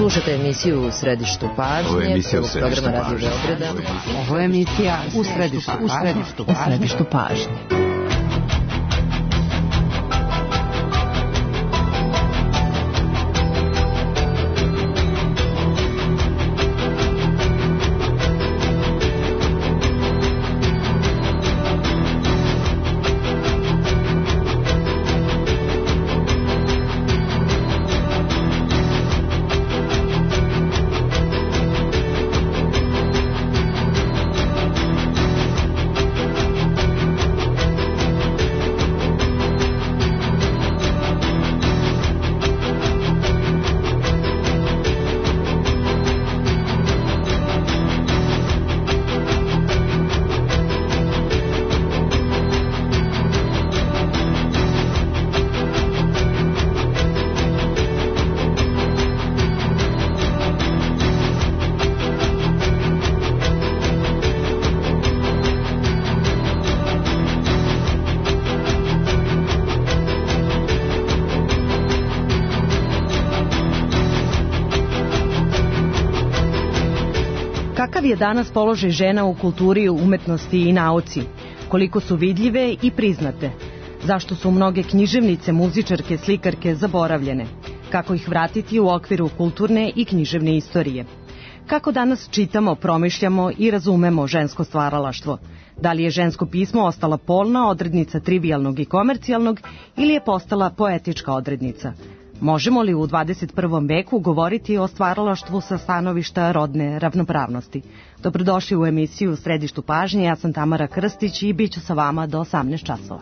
Slušate emisiju U središtu pažnje. Ovo je emisija U programa Radio Beograda. Ovo je emisija U središtu pažnje. Kakav je danas položaj žena u kulturi, umetnosti i nauci? Koliko su vidljive i priznate? Zašto su mnoge književnice, muzičarke, slikarke zaboravljene? Kako ih vratiti u okviru kulturne i književne istorije? Kako danas čitamo, promišljamo i razumemo žensko stvaralaštvo? Da li je žensko pismo ostala polna odrednica trivijalnog i komercijalnog ili je postala poetička odrednica? Možemo li u 21. veku govoriti o stvaralaštvu sa stanovišta rodne ravnopravnosti? Dobrodošli u emisiju U središtu pažnje, ja sam Tamara Krstić i bit ću sa vama do 18 časova.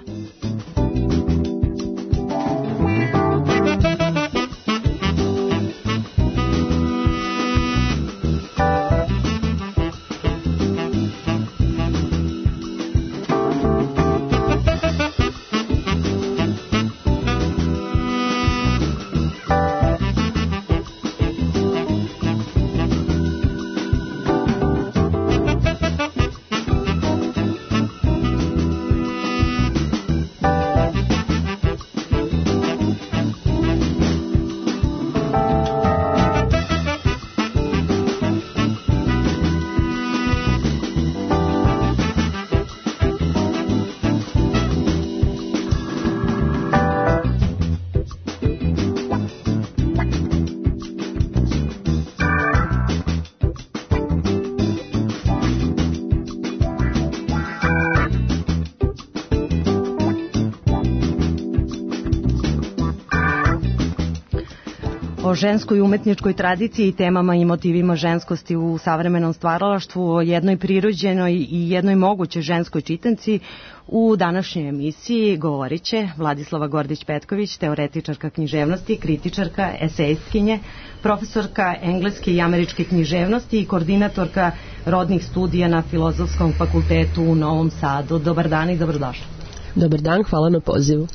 O ženskoj umetničkoj tradiciji i temama i motivima ženskosti u savremenom stvaralaštvu, o jednoj prirođenoj i jednoj mogućoj ženskoj čitanci u današnjoj emisiji govorit će Vladislava Gordić-Petković, teoretičarka književnosti, kritičarka, esejistkinje, profesorka engleske i američke književnosti i koordinatorka rodnih studija na Filozofskom fakultetu u Novom Sadu. Dobar dan i dobrodošli. Dobar dan, hvala na pozivu.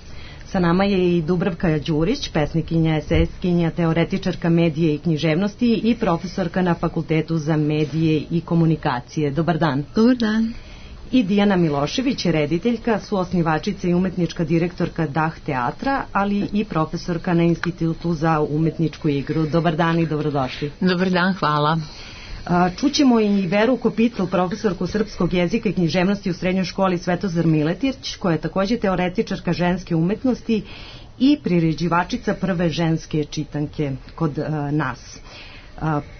Sa nama je i Dubravka Đurić, pesnikinja, esejistkinja, teoretičarka medije i književnosti i profesorka na Fakultetu za medije i komunikacije. Dobar dan. Dobar dan. I Dijana Milošević, rediteljka, suosnivačica i umetnička direktorka DAH teatra, ali i profesorka na Institutu za umetničku igru. Dobar dan i dobrodošli. Dobar dan, hvala. Čućemo i Veru Kopitl, profesorku srpskog jezika i književnosti u srednjoj školi Svetozar Miletić, koja je takođe teoretičarka ženske umetnosti i priređivačica prve ženske čitanke kod nas.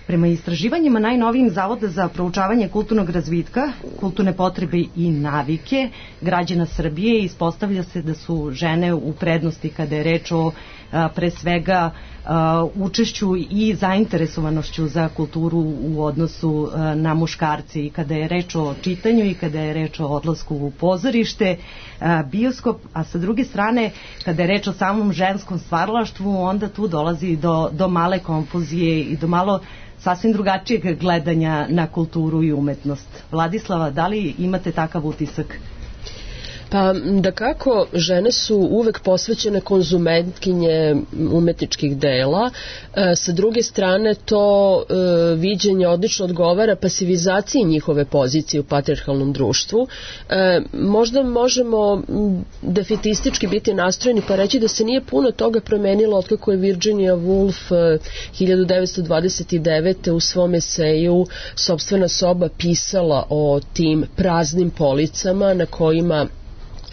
Prema istraživanjima najnovijim Zavoda za proučavanje kulturnog razvitka, kulturne potrebe i navike građana Srbije, ispostavlja se da su žene u prednosti kada je reč o pre svega učešću i zainteresovanošću za kulturu u odnosu na muškarci, i kada je reč o čitanju i kada je reč o odlasku u pozorište, bioskop, a sa druge strane kada je reč o samom ženskom stvaralaštvu, onda tu dolazi do male konfuzije i do malo sasvim drugačijeg gledanja na kulturu i umetnost. Vladislava, da li imate takav utisak? Pa da kako žene su uvek posvećene konzumentkinje umetničkih dela, sa druge strane to viđenje odlično odgovara pasivizaciji njihove pozicije u patrijarhalnom društvu. Možda možemo defetistički biti nastrojeni pa reći da se nije puno toga promenilo otkako je Virginia Woolf 1929. u svom eseju Sopstvena soba pisala o tim praznim policama na kojima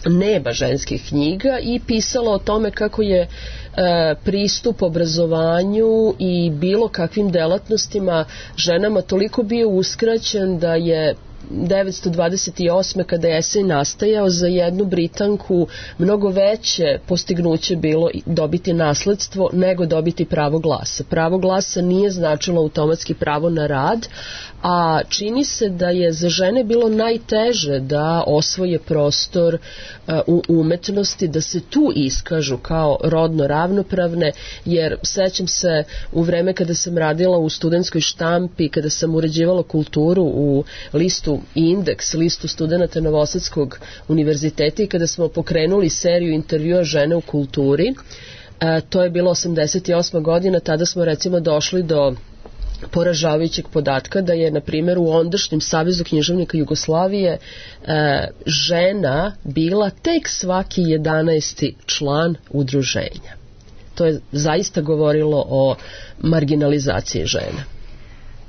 nema ženskih knjiga i pisala o tome kako je pristup obrazovanju i bilo kakvim delatnostima ženama toliko bio uskraćen da je 1928. kada je esej nastajao za jednu Britanku mnogo veće postignuće bilo dobiti nasledstvo nego dobiti pravo glasa. Pravo glasa nije značilo automatski pravo na rad, a čini se da je za žene bilo najteže da osvoje prostor u umetnosti, da se tu iskažu kao rodno ravnopravne, jer sećam se u vreme kada sam radila u studentskoj štampi, kada sam uređivala kulturu u listu Indeks, listu studenata Novosadskog univerziteta i kada smo pokrenuli seriju intervjua žene u kulturi, to je bilo 88. godina, tada smo recimo došli do poražavajućeg podatka da je, na primjer, u ondašnjem Savezu književnika Jugoslavije žena bila tek svaki 11. član udruženja. To je zaista govorilo o marginalizaciji žena.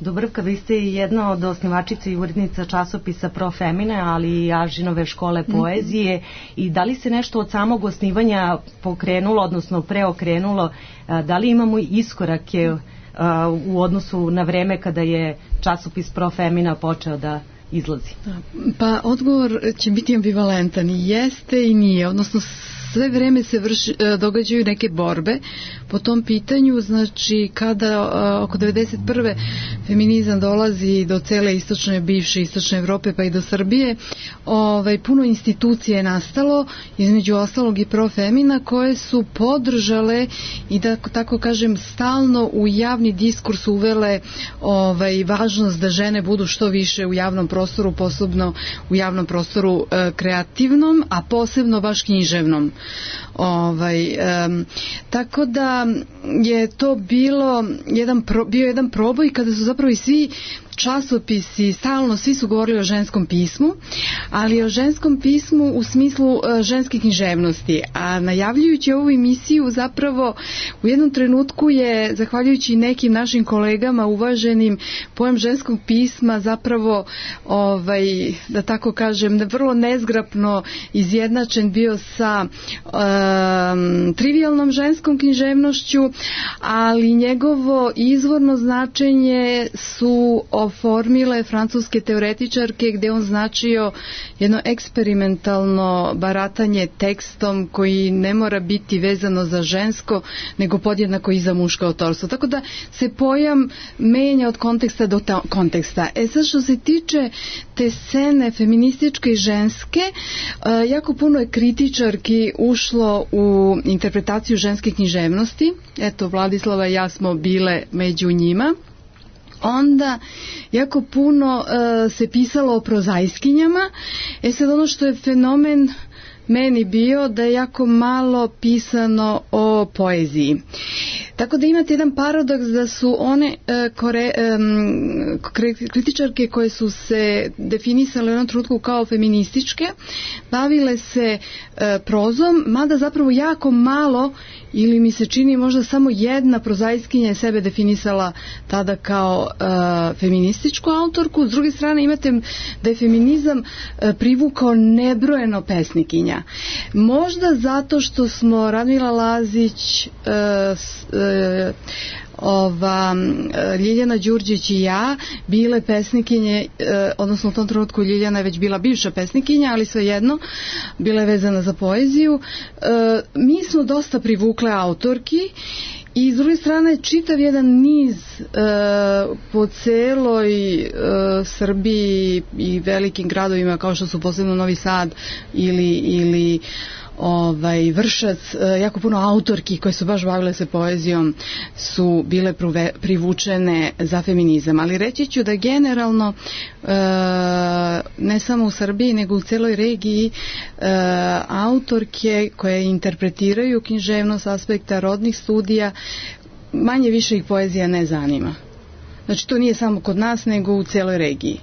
Dubravka, vi ste jedna od osnivačica i urednica časopisa Pro Femine, ali i Ažinove škole poezije. I da li se nešto od samog osnivanja pokrenulo, odnosno preokrenulo? Da li imamo iskorake u odnosu na vreme kada je časopis Pro Femina počeo da izlazi? Pa odgovor će biti ambivalentan. I jeste i nije, odnosno sve vreme se događaju neke borbe po tom pitanju, znači kada oko 91. feminizam dolazi do cele bivše istočne Evrope pa i do Srbije, puno institucije je nastalo, između ostalog i Pro Femina, koje su podržale i da tako kažem stalno u javni diskurs uvele važnost da žene budu što više u javnom prostoru, posebno u javnom prostoru kreativnom, a posebno baš književnom. Tako da je to bio jedan proboj kada su zapravo i svi časopisi, stalno svi su govorili o ženskom pismu, ali o ženskom pismu u smislu ženske književnosti, a najavljujući ovu emisiju zapravo u jednom trenutku je, zahvaljujući nekim našim kolegama uvaženim, pojam ženskog pisma zapravo da tako kažem vrlo nezgrapno izjednačen bio sa trivijalnom ženskom književnošću, ali njegovo izvorno značenje su oformile francuske teoretičarke, gde on značio jedno eksperimentalno baratanje tekstom koji ne mora biti vezano za žensko, nego podjednako i za muško autorstvo. Tako da se pojam menja od konteksta do konteksta. Sad što se tiče te scene feminističke i ženske, jako puno je kritičarki ušlo u interpretaciju ženske književnosti. Eto, Vladislava i ja smo bile među njima. Onda jako puno se pisalo o prozajskinjama. Sad ono što je fenomen meni bio da je jako malo pisano o poeziji. Tako da imate jedan paradoks da su one kritičarke koje su se definisale u jednom trenutku kao feminističke, bavile se prozom, mada zapravo jako malo, ili mi se čini možda samo jedna prozajskinja je sebe definisala tada kao feminističku autorku. S druge strane imate da je feminizam privukao nebrojeno pesnikinja. Možda zato što smo Radmila Lazić, Ljiljana Đurđić i ja bile pesnikinje, odnosno u tom trenutku Ljiljana je već bila bivša pesnikinja, ali svejedno bila je vezana za poeziju. Mi smo dosta privukle autorki i s druge strane čitav jedan niz po celoj Srbiji i velikim gradovima kao što su posebno Novi Sad ili Vršac, jako puno autorki koje su baš bavile se poezijom su bile privučene za feminizam, ali reći ću da generalno ne samo u Srbiji nego u celoj regiji autorke koje interpretiraju književnost s aspekta rodnih studija manje više ih poezija ne zanima. Znači to nije samo kod nas nego u celoj regiji.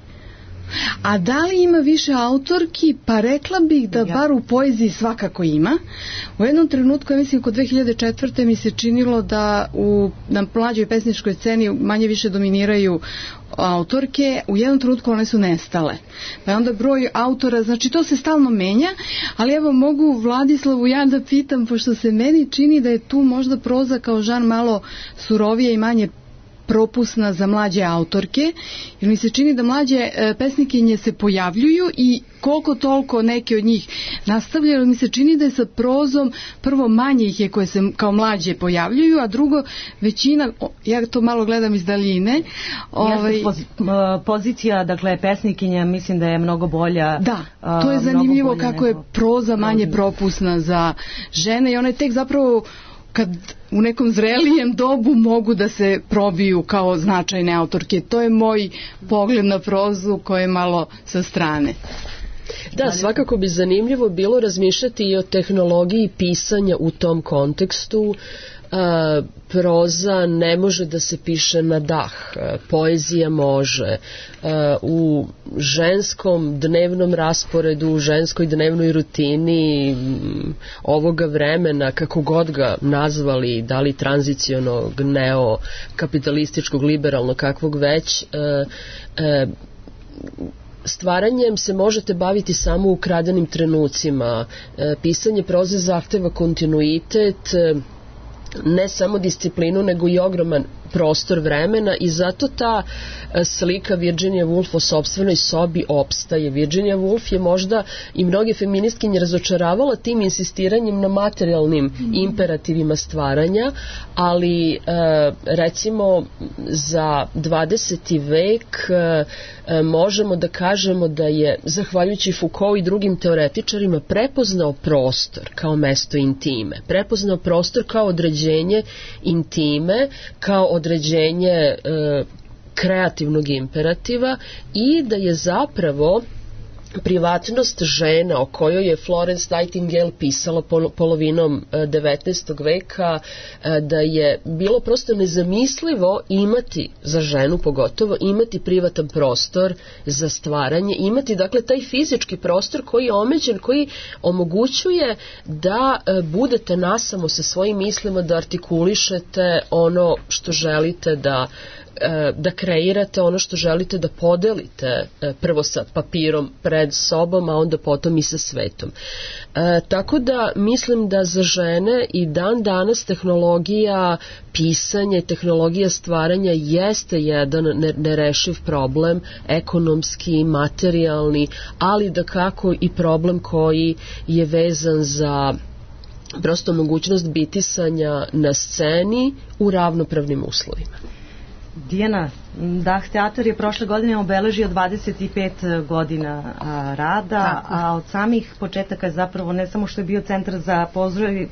A da li ima više autorki? Pa rekla bih da bar u poeziji svakako ima. U jednom trenutku, ja mislim kod 2004. mi se činilo da na mlađoj pesničkoj sceni manje više dominiraju autorke, u jednom trenutku one su nestale. Pa je onda broj autora, znači to se stalno menja, ali evo mogu Vladislavu ja da pitam, pošto se meni čini da je tu možda proza kao žan malo surovije i manje propusna za mlađe autorke, jer mi se čini da mlađe pesnikinje se pojavljuju i koliko toliko neke od njih nastavljaju, mi se čini da je sa prozom prvo manje ih je koje se kao mlađe pojavljuju, a drugo većina, ja to malo gledam iz daljine. Pozicija, dakle, pesnikinja mislim da je mnogo bolja. Da, to je zanimljivo kako je proza manje propusna za žene i one tek zapravo kad u nekom zrelijem dobu mogu da se probiju kao značajne autorke. To je moj pogled na prozu koji je malo sa strane. Da, svakako bi zanimljivo bilo razmišljati i o tehnologiji pisanja u tom kontekstu. Proza ne može da se piše na dah, poezija može. U ženskom dnevnom rasporedu, u ženskoj dnevnoj rutini ovoga vremena, kako god ga nazvali, da li tranzicionog, neokapitalističkog, liberalnog, kakvog već, stvaranjem se možete baviti samo u ukradenim trenucima. Pisanje proze zahteva kontinuitet, ne samo disciplinu, nego i ogroman prostor vremena i zato ta slika Virginia Woolf o sopstvenoj sobi opstaje. Virginia Woolf je možda i mnoge feministkinje razočaravala tim insistiranjem na materijalnim imperativima stvaranja, ali recimo za 20. vek možemo da kažemo da je, zahvaljujući Foucault i drugim teoretičarima, prepoznao prostor kao mesto intime, prepoznao prostor kao određenje intime, kao određenje kreativnog imperativa i da je zapravo privatnost žena o kojoj je Florence Nightingale pisala polovinom 19. veka, da je bilo prosto nezamislivo imati, za ženu pogotovo, imati privatan prostor za stvaranje, imati dakle taj fizički prostor koji je omeđen, koji omogućuje da budete nasamo sa svojim mislima, da artikulišete ono što želite da kreirate, ono što želite da podelite prvo sa papirom pred sobom, a onda potom i sa svetom. Tako da mislim da za žene i dan danas tehnologija pisanja i tehnologija stvaranja jeste jedan nerešiv problem, ekonomski, materijalni, ali da kako i problem koji je vezan za prosto mogućnost bitisanja na sceni u ravnopravnim uslovima. Dijana, Dah teatar je prošle godine obeležio 25 godina rada, a od samih početaka je zapravo ne samo što je bio centar za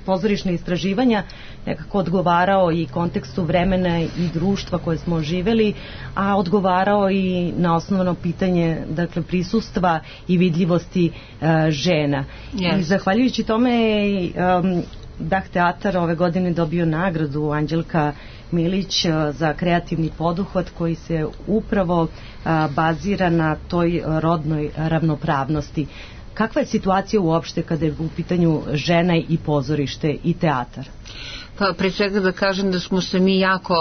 pozorišne istraživanja, nekako odgovarao i kontekstu vremena i društva koje smo živeli, a odgovarao i na osnovno pitanje, dakle, prisustva i vidljivosti žena. Yes. I zahvaljujući tome Dah teatar ove godine dobio nagradu Anđelka Milić za kreativni poduhvat koji se upravo bazira na toj rodnoj ravnopravnosti. Kakva je situacija uopšte kada je u pitanju žena i pozorište i teatar? Pa pre svega da kažem da smo se mi jako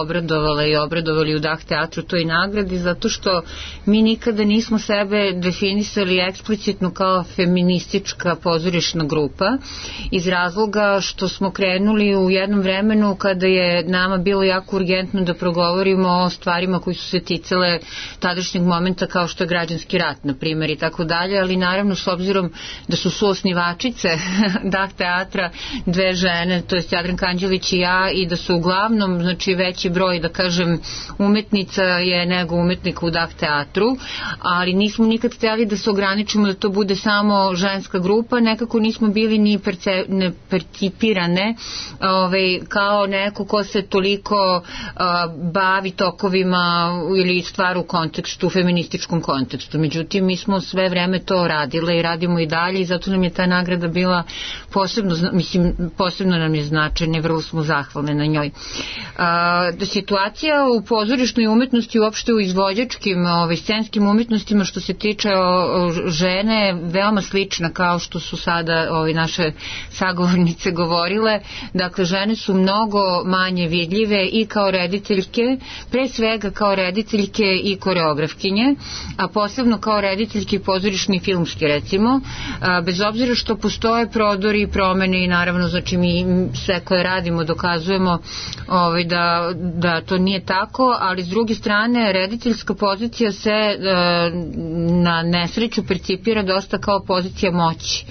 obradovali u Dah teatru toj nagradi, zato što mi nikada nismo sebe definisali eksplicitno kao feministička pozorišna grupa, iz razloga što smo krenuli u jednom vremenu kada je nama bilo jako urgentno da progovorimo o stvarima koji su se ticale tadašnjeg momenta, kao što je građanski rat, na primjer, i tako dalje, ali naravno s obzirom da su suosnivačice Dah teatra dve žene, to je Jadranka Anđelić uključujući ja, i da su uglavnom, znači, veći broj, da kažem, umetnica je nego umetnika u Dah teatru, ali nismo nikad htjeli da se ograničimo da to bude samo ženska grupa, nekako nismo bili ni percipirane kao neko ko se toliko bavi tokovima ili stvar u kontekstu, feminističkom kontekstu. Međutim, mi smo sve vreme to radile i radimo i dalje i zato nam je ta nagrada bila posebno nam je značajna i vrlo smo zahvalne na njoj. Situacija u pozorišnoj umetnosti, uopšte u izvođačkim scenskim umetnostima što se tiče žene je veoma slična kao što su sada naše sagovornice govorile. Dakle, žene su mnogo manje vidljive i kao rediteljke, pre svega kao rediteljke i koreografkinje, a posebno kao rediteljke pozorišni i filmski, recimo, bez obzira što postoje prodori i promene i naravno, znači, mi sve koje radimo dokazujemo da to nije tako, ali s druge strane rediteljska pozicija se na nesreću percipira dosta kao pozicija moći.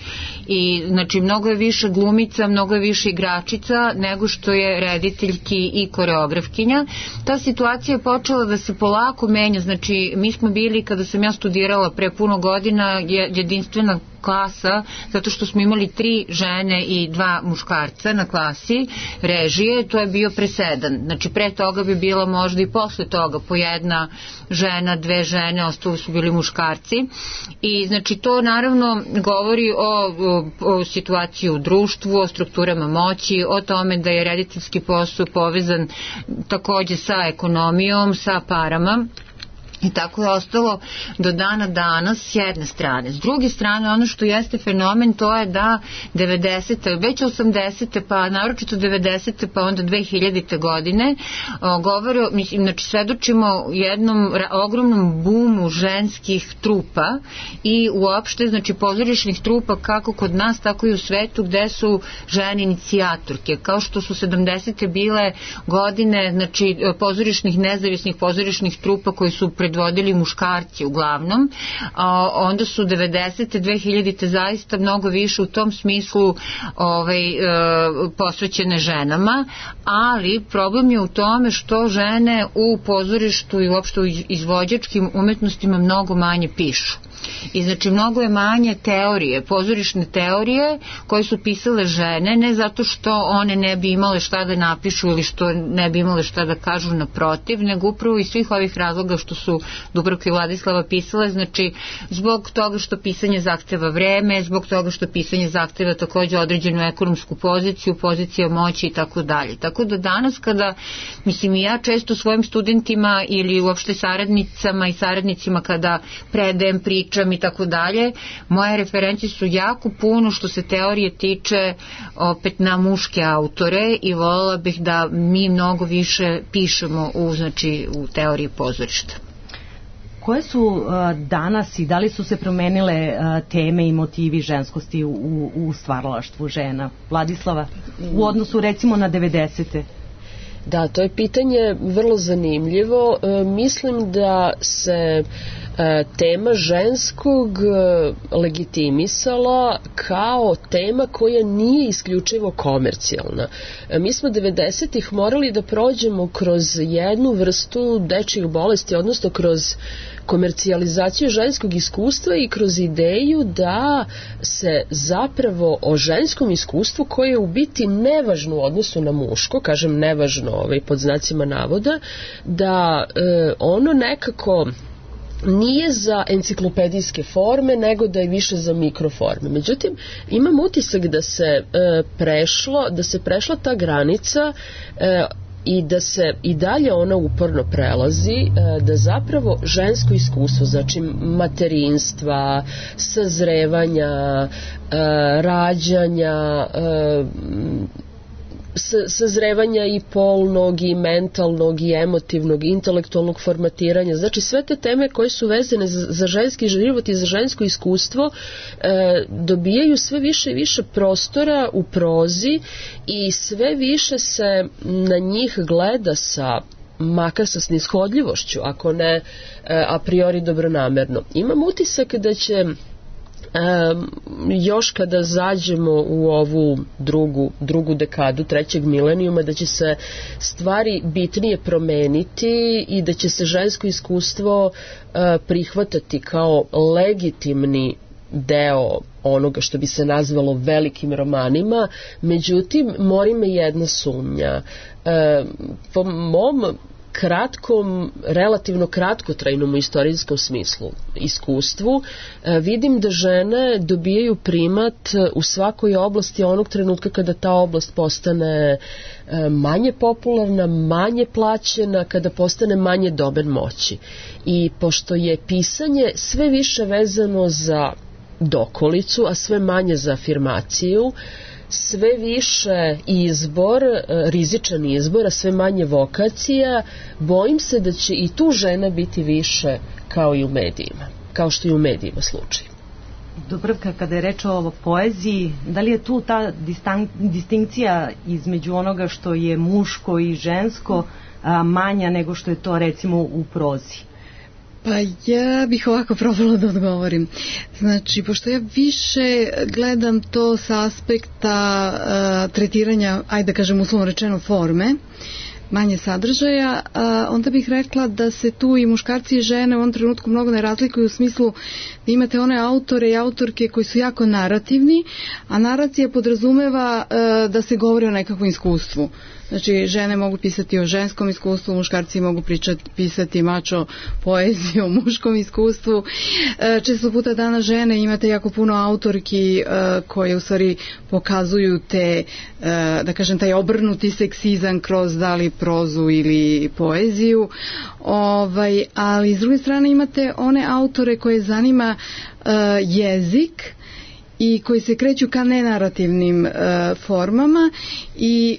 I znači mnogo je više glumica, mnogo je više igračica nego što je rediteljki i koreografkinja. Ta situacija je počela da se polako menja, znači mi smo bili, kada sam ja studirala pre puno godina, jedinstvena klasa, zato što smo imali 3 žene i 2 muškarca na klasi režije, to je bio presedan. Znači pre toga bi bila možda i posle toga po 1 žena, 2 žene, ostalo su bili muškarci. I znači to naravno govori o situaciji u društvu, o strukturama moći, o tome da je rediteljski posao povezan takođe sa ekonomijom, sa parama. I tako je ostalo do dana danas s jedne strane. S druge strane, ono što jeste fenomen, to je da 90. već 80. pa naročito 90. pa onda 2000. godine govore, znači svedočimo jednom ogromnom bumu ženskih trupa i uopšte, znači, pozorišnih trupa kako kod nas, tako i u svetu, gde su žene inicijatorke. Kao što su 70. bile godine, znači, pozorišnih, nezavisnih pozorišnih trupa koji su predvodili muškarci uglavnom, onda su 90. 2000. zaista mnogo više u tom smislu posvećene ženama, ali problem je u tome što žene u pozorištu i uopšte u izvođačkim umetnostima mnogo manje pišu. I znači mnogo je manje teorije, pozorišne teorije koje su pisale žene, ne zato što one ne bi imale šta da napišu ili što ne bi imale šta da kažu, naprotiv, nego upravo iz svih ovih razloga što su Dubravka i Vladislava pisale, znači zbog toga što pisanje zahteva vreme, zbog toga što pisanje zahteva takođe određenu ekonomsku poziciju, pozicija moći i tako dalje. Tako da danas kada, mislim, i ja često svojim studentima ili uopšte saradnicama i saradnicima kada predajem, pričam i tako dalje, moje referencije su jako puno što se teorije tiče opet na muške autore i voljela bih da mi mnogo više pišemo u teoriji pozorišta. Koje su danas i da li su se promenile teme i motivi ženskosti u stvaralaštvu žena? Vladislava, u odnosu recimo na 90. Da, to je pitanje vrlo zanimljivo. Mislim da se tema ženskog legitimisala kao tema koja nije isključivo komercijalna. Mi smo 90-ih morali da prođemo kroz jednu vrstu dečjih bolesti, odnosno kroz komercijalizaciju ženskog iskustva i kroz ideju da se zapravo o ženskom iskustvu, koje je u biti nevažno u odnosu na muško, kažem nevažno pod znacima navoda, da ono nekako nije za enciklopedijske forme, nego da je više za mikroforme. Međutim, imam utisak da se prešla ta granica i da se i dalje ona uporno prelazi, da zapravo žensko iskustvo, znači materinstva, sazrevanja, rađanja, sazrevanja i polnog i mentalnog i emotivnog i intelektualnog formatiranja, znači sve te teme koje su vezane za ženski život i za žensko iskustvo dobijaju sve više i više prostora u prozi i sve više se na njih gleda makar sa snishodljivošću, ako ne a priori dobronamerno. Imam utisak da će još kada zađemo u ovu drugu dekadu trećeg milenijuma, da će se stvari bitnije promeniti i da će se žensko iskustvo prihvatati kao legitimni deo onoga što bi se nazvalo velikim romanima. Međutim, mori me jedna sumnja. Po mom relativno kratkotrajnom u istorijskom smislu iskustvu, vidim da žene dobijaju primat u svakoj oblasti onog trenutka kada ta oblast postane manje popularna, manje plaćena, kada postane manje domen moći. I pošto je pisanje sve više vezano za dokolicu, a sve manje za afirmaciju, sve više izbor, rizičan izbor, a sve manje vokacija, bojim se da će i tu žena biti više kao i u medijima, kao što je u medijima slučaj. Dubravka, kada je reč o poeziji, da li je tu ta distinkcija između onoga što je muško i žensko manja nego što je to recimo u prozi? Pa ja bih ovako probala da odgovorim. Znači, pošto ja više gledam to sa aspekta tretiranja, ajde da kažem uslovno rečeno, forme, manje sadržaja, onda bih rekla da se tu i muškarci i žene u ovom trenutku mnogo ne razlikuju u smislu da imate one autore i autorke koji su jako narativni, a naracija podrazumeva da se govori o nekakvom iskustvu. Znači, žene mogu pisati o ženskom iskustvu, muškarci mogu pisati mačo poeziju o muškom iskustvu. Često puta danas žene imate jako puno autorki koje u stvari pokazuju te, da kažem, taj obrnuti seksizam kroz da li prozu ili poeziju. Ali s druge strane imate one autore koje zanima jezik i koji se kreću ka nenarativnim formama i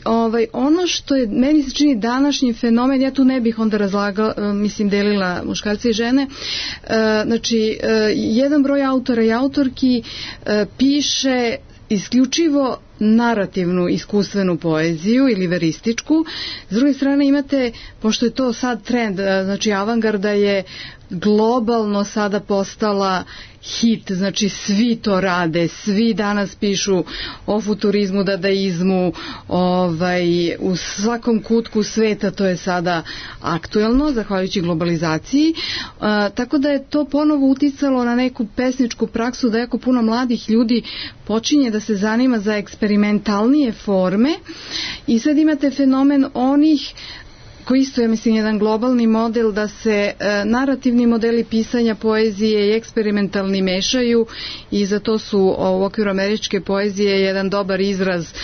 ono što je meni se čini današnji fenomen, ja tu ne bih onda delila muškarce i žene, znači jedan broj autora i autorki piše isključivo narativnu iskustvenu poeziju ili verističku. S druge strane imate, pošto je to sad trend, znači avangarda je globalno sada postala hit, znači svi to rade, svi danas pišu o futurizmu, dadaizmu, u svakom kutku sveta to je sada aktuelno, zahvaljujući globalizaciji, tako da je to ponovo uticalo na neku pesničku praksu, da jako puno mladih ljudi počinje da se zanima za eksperimentalnije forme i sad imate fenomen onih koji isto je, mislim, jedan globalni model da se narativni modeli pisanja poezije i eksperimentalni mešaju i za to su u okviru američke poezije jedan dobar izraz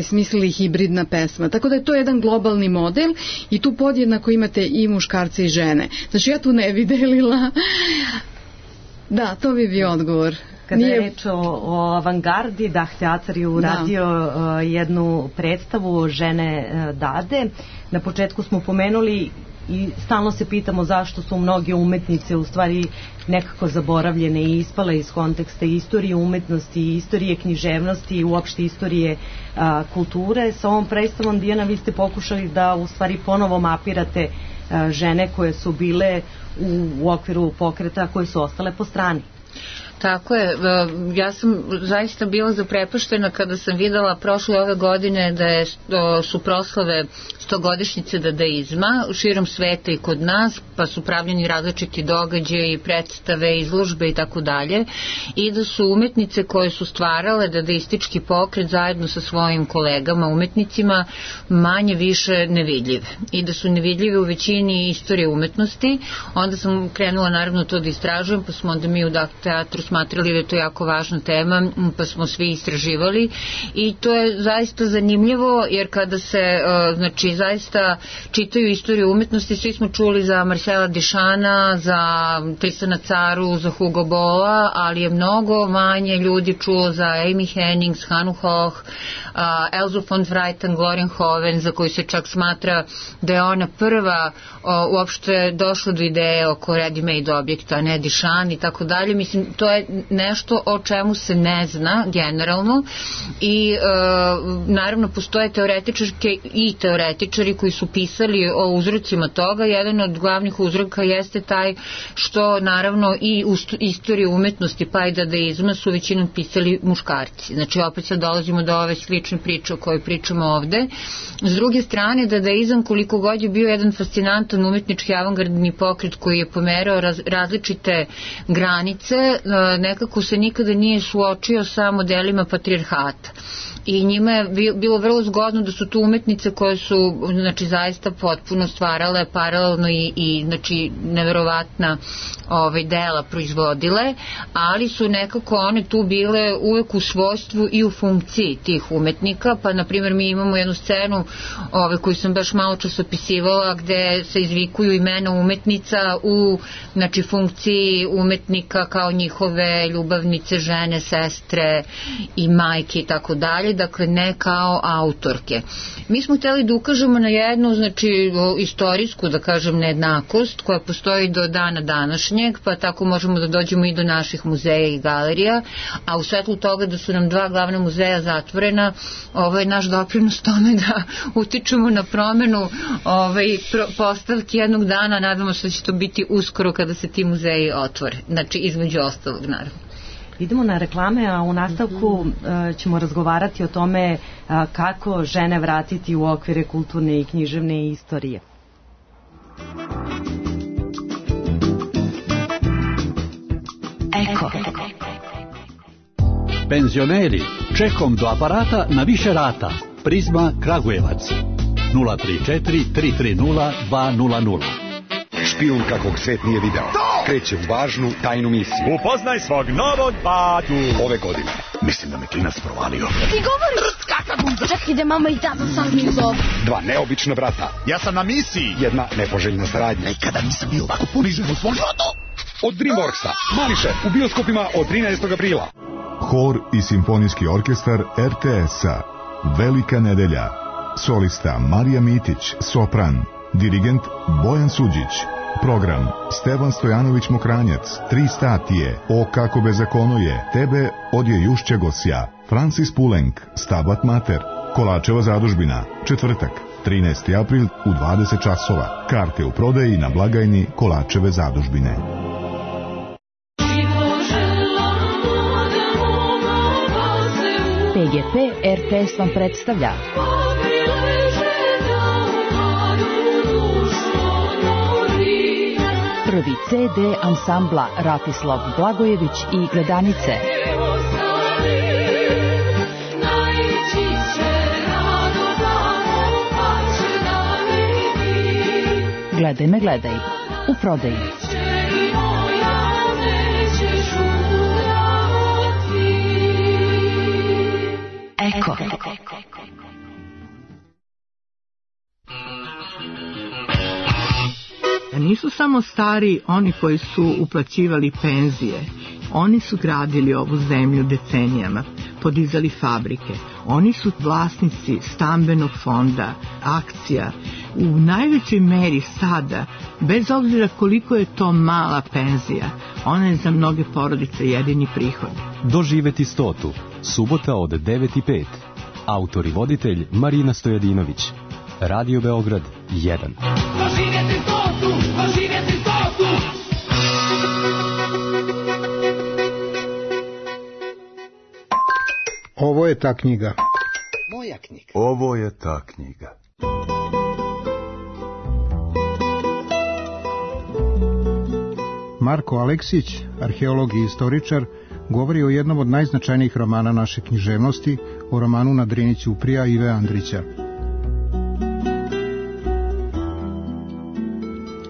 smislili hibridna pesma. Tako da je to jedan globalni model i tu podjednako imate i muškarce i žene. Znači ja tu ne bi delila. Da, to bi bio odgovor. Kada je reč o avangardi, Dah teatar je uradio jednu predstavu Žene Dade. Na početku smo pomenuli i stalno se pitamo zašto su mnoge umetnice u stvari nekako zaboravljene i ispale iz konteksta istorije umetnosti, istorije književnosti i uopšte istorije kulture. Sa ovom predstavom, Dijana, vi ste pokušali da u stvari ponovo mapirate žene koje su bile u okviru pokreta, koje su ostale po strani. Tako je, ja sam zaista bila zaprepaštena kada sam videla prošle ove godine da su proslave 100-godišnjice dadaizma širom sveta i kod nas, pa su pravljeni različiti događaji, predstave, izložbe i tako dalje, i da su umetnice koje su stvarale dadaistički pokret zajedno sa svojim kolegama umetnicima manje više nevidljive i da su nevidljive u većini istorije umetnosti. Onda sam krenula naravno to da istražujem, pa smo onda mi u Dah teatru smatrali da je to jako važna tema, pa smo svi istraživali i to je zaista zanimljivo, jer kada se znači zaista čitaju istoriju umetnosti, svi smo čuli za Marcela Duchampa, za Tristana Caru, za Hugo Bolla, ali je mnogo manje ljudi čulo za Amy Hennings, Hanu Hoch, Elzu von Freiten, Glorenhoven, za koju se čak smatra da je ona prva uopšte došla do ideje oko ready-made objekta, ne Duchamp i tako dalje. Mislim, to je nešto o čemu se ne zna generalno i naravno postoje teoretičarke i teoretičari koji su pisali o uzrocima toga. Jedan od glavnih uzroka jeste taj što naravno i u istoriji umetnosti pa i dadaizma su većinom pisali muškarci. Znači opet sad dolazimo do ove slične priče o kojoj pričamo ovde. S druge strane, dadaizam koliko god je bio jedan fascinantan umetnički avangardni pokret koji je pomerao različite granice, nekako se nikada nije suočio sa modelima patrijarhata. I njima je bilo vrlo zgodno da su tu umetnice koje su znači zaista potpuno stvarale paralelno i znači neverovatna dela proizvodile, ali su nekako one tu bile uvek u svojstvu i u funkciji tih umetnika. Pa na primjer mi imamo jednu scenu koju sam baš malo čas opisivala gde se izvikuju imena umetnica u znači funkciji umetnika kao njihove ljubavnice, žene, sestre i majke i tako dalje, dakle ne kao autorke. Mi smo hteli da ukažemo na jednu znači istorijsku, da kažem, nejednakost koja postoji do dana današnjeg, pa tako možemo da dođemo i do naših muzeja i galerija, a u svetlu toga da su nam 2 glavna muzeja zatvorena, ovo je naš doprinos tome da utičemo na promenu postavki jednog dana. Nadamo se da će to biti uskoro kada se ti muzeji otvore, znači između ostalog naravno. Idemo na reklame, a u nastavku ćemo razgovarati o tome kako žene vratiti u okvire kulturne i književne istorije. Eko. Penzioneri, čekom do aparata na više rata. Prizma Kragujevac 034 330 200. Špijun kakvog svet nije video. Kreće u važnu tajnu misiju. Upoznaj svog novog batu. Ove godine. Mislim da me klinac provalio. Ti govoriš kakva bunda. Čak ide mama i tata sam mi zove. 2 neobična brata. Ja sam na misiji. Jedna nepoželjna saradnja. Nikada nisam bio ovako ponižen u svom životu. Od Dreamworksa. Mališe u bioskopima od 13. aprila. Hor i simfonijski orkestar RTS-a. Velika nedelja. Solista Marija Mitić, sopran. Dirigent Bojan Suđić. Program Stevan Stojanović Mokranjac, 3 statije, O kako bezakono je, Tebe odje Jušće Gosja, Francis Pulenk, Stabat Mater, Kolačeva zadužbina, četvrtak, 13. april u 20 časova. Karte u prodaji na blagajni Kolačeve zadužbine. PGP RTS vam predstavlja prvi CD ansambla Ratislav Blagojević i Gledanice. Gledaj me, gledaj. U prodaji. Eko. Nisu samo stari oni koji su uplaćivali penzije. Oni su gradili ovu zemlju decenijama, podizali fabrike. Oni su vlasnici stambenog fonda, akcija. U najvećoj meri sada, bez obzira koliko je to mala penzija, ona je za mnoge porodice jedini prihod. Doživeti 100. Subota od 9:05. Autor i voditelj Marina Stojadinović. Radio Beograd 1. Doživjeti 100, doživjeti 100. Ovo je ta knjiga. Moja knjiga. Ovo je ta knjiga. Marko Aleksić, arheolog i istoričar, govori o jednom od najznačajnijih romana naše književnosti, o romanu Na Drini ćuprija Ive Andrića.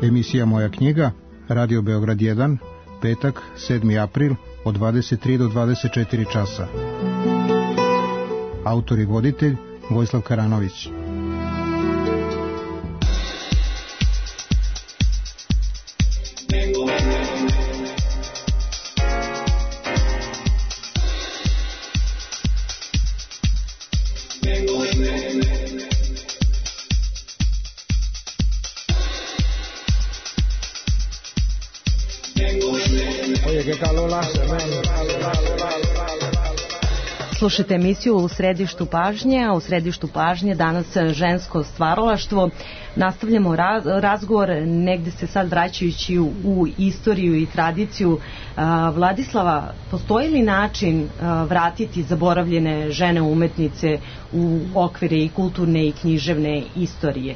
Emisija Moja knjiga, Radio Beograd 1, petak, 7. april, od 23 do 24 časa. Autor i voditelj Vojislav Karanović. Slušajte emisiju U središtu pažnje, a u središtu pažnje danas žensko stvaralaštvo. Nastavljamo razgovor, negde se sad vraćajući u istoriju i tradiciju. Vladislava, postoji li način vratiti zaboravljene žene umetnice u okvire i kulturne i književne istorije?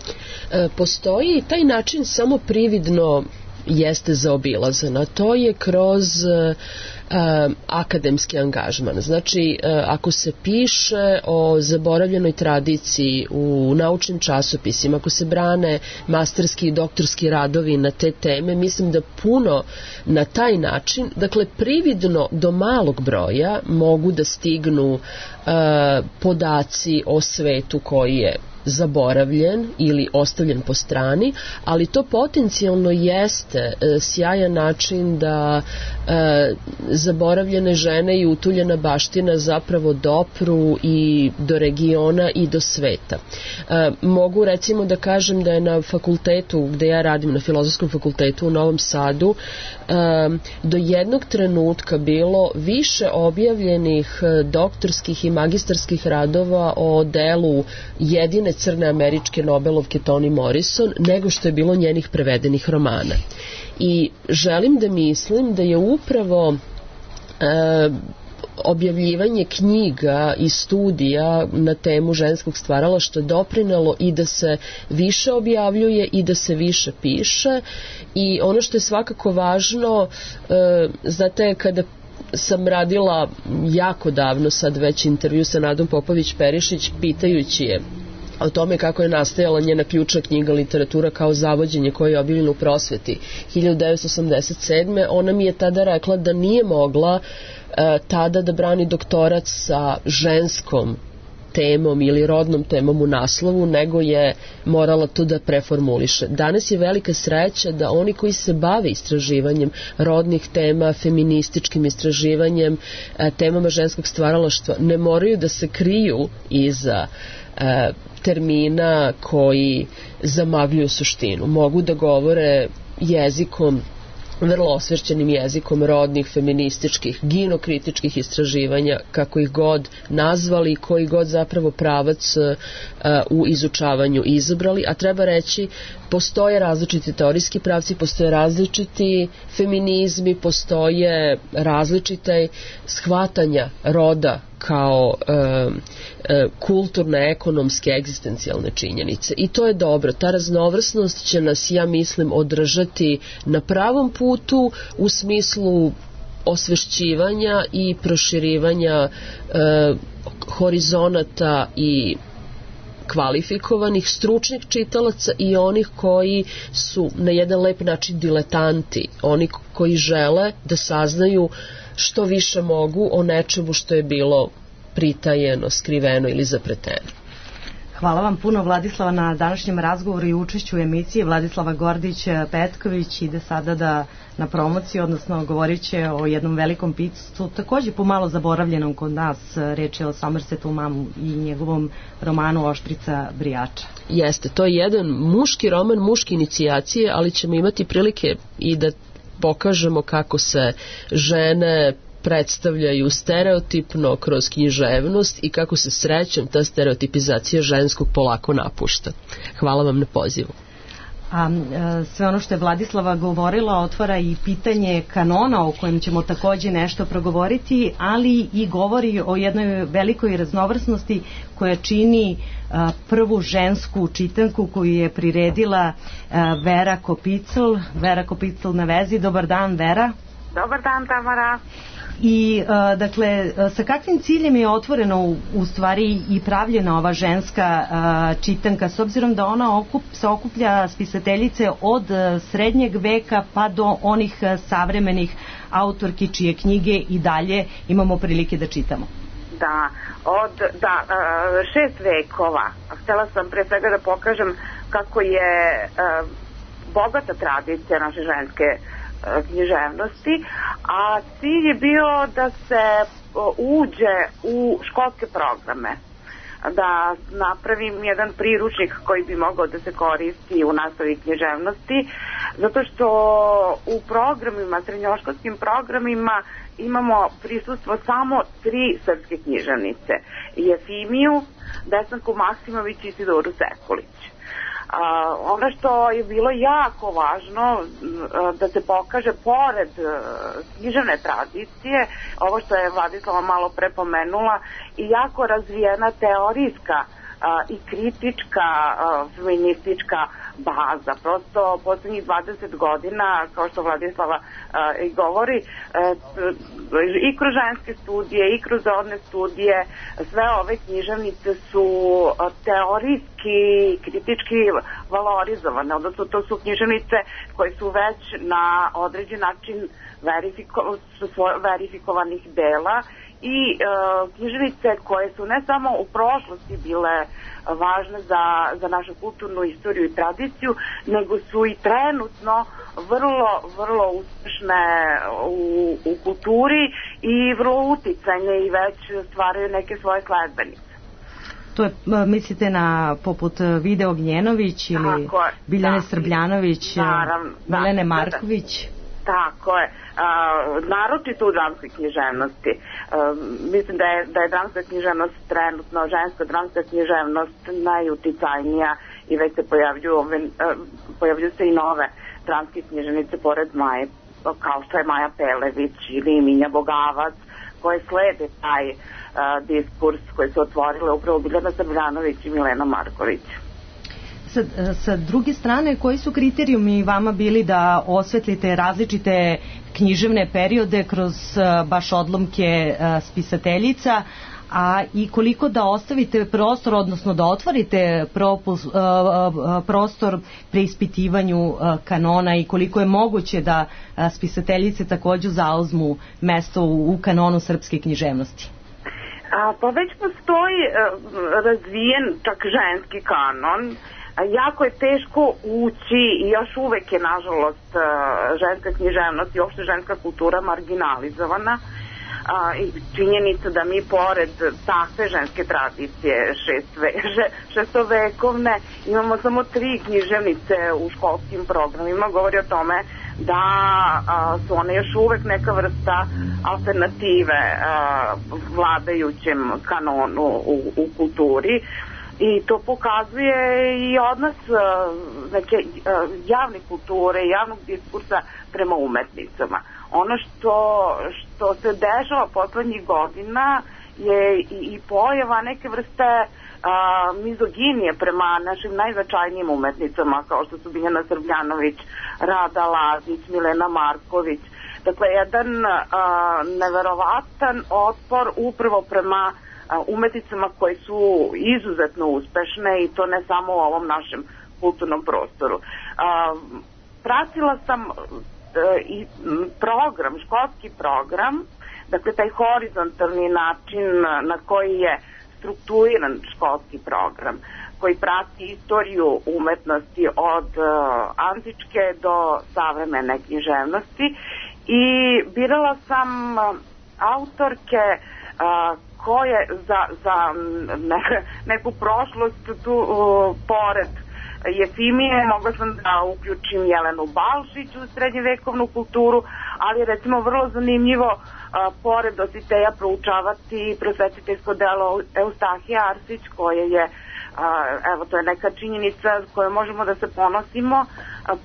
Postoji taj način samo prividno jeste zaobilazan, a to je kroz akademski angažman. Znači, ako se piše o zaboravljenoj tradiciji u naučnim časopisima, ako se brane masterski i doktorski radovi na te teme, mislim da puno na taj način, dakle, prividno do malog broja mogu da stignu podaci o svetu koji je zaboravljen ili ostavljen po strani, ali to potencijalno jeste sjajan način da zaboravljene žene i utuljena baština zapravo dopru i do regiona i do sveta. Mogu recimo da kažem da je na fakultetu gde ja radim, na Filozofskom fakultetu u Novom Sadu, do jednog trenutka bilo više objavljenih doktorskih i magistarskih radova o delu jedine crne američke Nobelovke Toni Morrison nego što je bilo njenih prevedenih romana. I želim da mislim da je upravo objavljivanje knjiga i studija na temu ženskog stvaralaštva doprinelo i da se više objavljuje i da se više piše. I ono što je svakako važno, znate, kada sam radila jako davno sad već intervju sa Nadom Popović-Perišić pitajući je o tome kako je nastajala njena ključna knjiga Literatura kao zavođenje koja je objavljena u prosveti 1987. Ona mi je tada rekla da nije mogla tada da brani doktorat sa ženskom temom ili rodnom temom u naslovu, nego je morala to da preformuliše. Danas je velika sreća da oni koji se bave istraživanjem rodnih tema, feminističkim istraživanjem, temama ženskog stvaralaštva, ne moraju da se kriju iza termina koji zamagljuju suštinu. Mogu da govore jezikom, vrlo osvešćenim jezikom rodnih, feminističkih, ginokritičkih istraživanja, kako ih god nazvali, koji god zapravo pravac u izučavanju izabrali, a treba reći, postoje različiti teorijski pravci, postoje različiti feminizmi, postoje različite shvatanja roda kao kulturne, ekonomske, egzistencijalne činjenice. I to je dobro. Ta raznovrsnost će nas, ja mislim, održati na pravom putu u smislu osvešćivanja i proširivanja horizonata i kvalifikovanih, stručnih čitalaca i onih koji su na jedan lep način diletanti, oni koji žele da saznaju što više mogu o nečemu što je bilo pritajeno, skriveno ili zapreteno. Hvala vam puno, Vladislava, na današnjem razgovoru i učešću u emisiji. Vladislava Gordić-Petković ide sada na promociju, odnosno govorit će o jednom velikom piscu, takođe pomalo zaboravljenom kod nas, reč je o Somersetu Maumu i njegovom romanu Oštrica Brijača. Jeste, to je jedan muški roman, muške inicijacije, ali ćemo imati prilike i da pokažemo kako se žene predstavljaju stereotipno kroz književnost i kako se srećom ta stereotipizacija ženskog polako napušta. Hvala vam na pozivu. A sve ono što je Vladislava govorila otvara i pitanje kanona o kojem ćemo takođe nešto progovoriti, ali i govori o jednoj velikoj raznovrsnosti koja čini prvu žensku čitanku koju je priredila Vera Kopicl. Vera Kopicl na vezi. Dobar dan, Vera. Dobar dan, Tamara. I dakle, sa kakvim ciljem je otvoreno u stvari i pravljena ova ženska čitanka, s obzirom da ona se okuplja spisateljice od srednjeg veka pa do onih savremenih autorki čije knjige i dalje imamo prilike da čitamo? Da, od 6 vekova. Htela sam pre svega da pokažem kako je bogata tradicija naše ženske književnosti, a cilj je bio da se uđe u školske programe, da napravim jedan priručnik koji bi mogao da se koristi u nastavi književnosti, Zato što u programima, srednjoškolskim programima imamo prisustvo samo 3 srpske književnice. Jefimiju, Desanku Maksimović i Isidoru Sekulić. Ono što je bilo jako važno da se pokaže pored književne tradicije, ovo što je Vladislava malo pre pomenula, i jako razvijena teorijska i kritička feministička baza. Prosto poslednjih 20 godina, kao što Vladislava i govori, i kroz ženske studije i kroz rodne studije, sve ove književnice su teorijski i kritički valorizovane, odnosno to su književnice koje su već na određen način verifikovanih dela i književnice koje su ne samo u prošlosti bile važne za našu kulturnu istoriju i tradiciju, nego su i trenutno vrlo uspešne u kulturi i vrlo uticajne i već stvaraju neke svoje sledbenice. To je, mislite na poput Vide Ognjenović ili Biljane Srbljanović, Milene Marković? Tako je. Naročito u dramskoj književnosti. Mislim da je dramska književnost trenutno, ženska dramska književnost najuticajnija i već se pojavljuju se i nove dramske književnice pored Maje, kao što je Maja Pelević ili Minja Bogavac, koje slede taj diskurs koji su otvorile upravo Biljana Srbljanović i Milena Marković. Sa druge strane, koji su kriterijumi vama bili da osvetlite različite književne periode kroz baš odlomke spisateljica, a i koliko da ostavite prostor, odnosno da otvorite prostor preispitivanju kanona i koliko je moguće da spisateljice takođe zauzmu mesto u kanonu srpske književnosti? Pa već postoji razvijen čak ženski kanon. Jako je teško ući i još uvek je nažalost ženska književnost i uopšte ženska kultura marginalizovana. I činjenica da mi pored takve ženske tradicije šestovekovne imamo samo 3 književnice u školskim programima, govori o tome da su one još uvek neka vrsta alternative vladajućem kanonu u kulturi. I to pokazuje i odnos neke javne kulture, javnog diskursa prema umetnicama. Ono što se dešava poslednjih godina je i pojava neke vrste mizoginije prema našim najznačajnijim umetnicama, kao što su Biljana Srbljanović, Rada Lazić, Milena Marković. Dakle, jedan neverovatan otpor upravo prema umetnicama koje su izuzetno uspešne i to ne samo u ovom našem kulturnom prostoru. Pratila sam i program, školski program, dakle taj horizontalni način na koji je strukturiran školski program, koji prati istoriju umetnosti od antičke do savremene književnosti i birala sam autorke koje za neku prošlost tu pored Jefimije mogla sam da uključim Jelenu Balšić u srednjevekovnu kulturu, ali je recimo vrlo zanimljivo pored Dositeja proučavati prosvetiteljsko delo Eustahije Arsić, koje je, evo to je neka činjenica s kojom možemo da se ponosimo,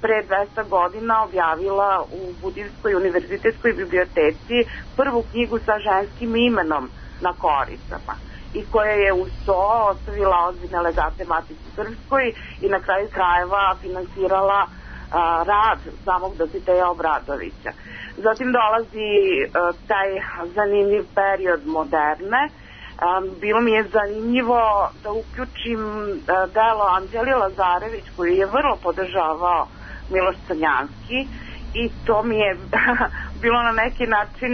pre 200 godina objavila u Budimskoj univerzitetskoj biblioteci prvu knjigu sa ženskim imenom na koricama i koja je uz to ostavila ozbiljne legate Matici Srpskoj i na kraju krajeva finansirala rad samog Dositeja Obradovića. Zatim dolazi taj zanimljiv period moderne. Bilo mi je zanimljivo da uključim delo Anđeli Lazarević koju je vrlo podržavao Miloš Crnjanski i to mi je bilo na neki način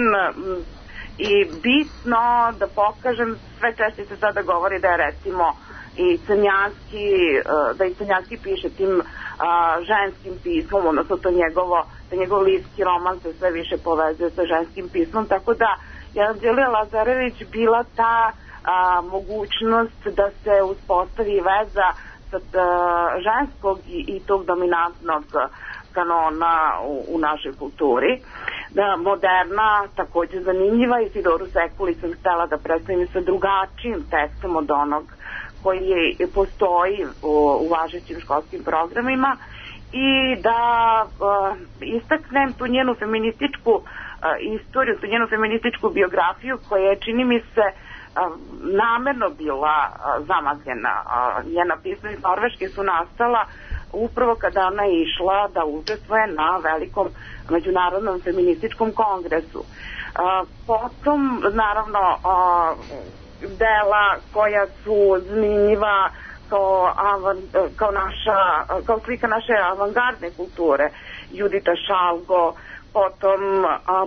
i bitno da pokažem, sve češće se sada govori da je recimo i Crnjanski, da i Crnjanski piše tim ženskim pismom, odnosno to njegov lirski roman se sve više povezuje sa ženskim pismom, tako da je Anđelija Lazarević bila ta mogućnost da se uspostavi veza sa ženskog i tog dominantnog kanona u našoj kulturi. Da, moderna, takođe zanimljiva, Isidoru Sekuli sam htela da predstavim sa drugačijim tekstom od onog koji postoji u važećim školskim programima i da istaknem tu njenu feminističku istoriju, tu njenu feminističku biografiju koja je, čini mi se, namerno bila zamagljena. Njena pisma iz Norveške su nastala upravo kada ona je išla da učestvuje na velikom međunarodnom feminističkom kongresu. Potom, naravno, dela koja su zanimljiva kao slika naše avangardne kulture, Judita Šalgo, potom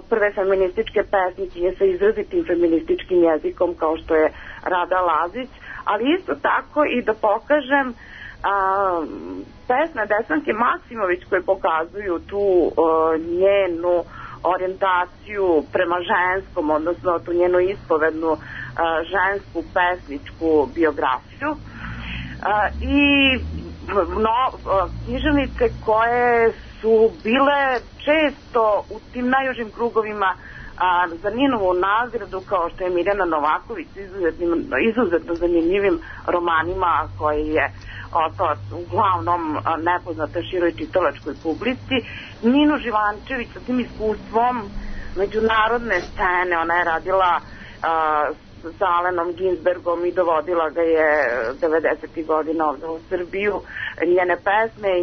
prve feminističke pesnikinje sa izrazitim feminističkim jezikom kao što je Rada Lazić, ali isto tako i da pokažem pesme Desanke Maksimović koje pokazuju tu njenu orijentaciju prema ženskom, odnosno tu njenu ispovednu žensku pesničku biografiju i književnice koje su bile često u tim najužim krugovima za Ninovu nagradu, kao što je Mirjana Novaković izuzetno zanimljivim romanima koji je ostala uglavnom nepoznata široj čitalačkoj publici. Ninu Živančević sa tim iskustvom međunarodne scene, ona je radila sa Alenom Ginsbergom i dovodila ga je 90. godina ovde u Srbiju. Njene pesme i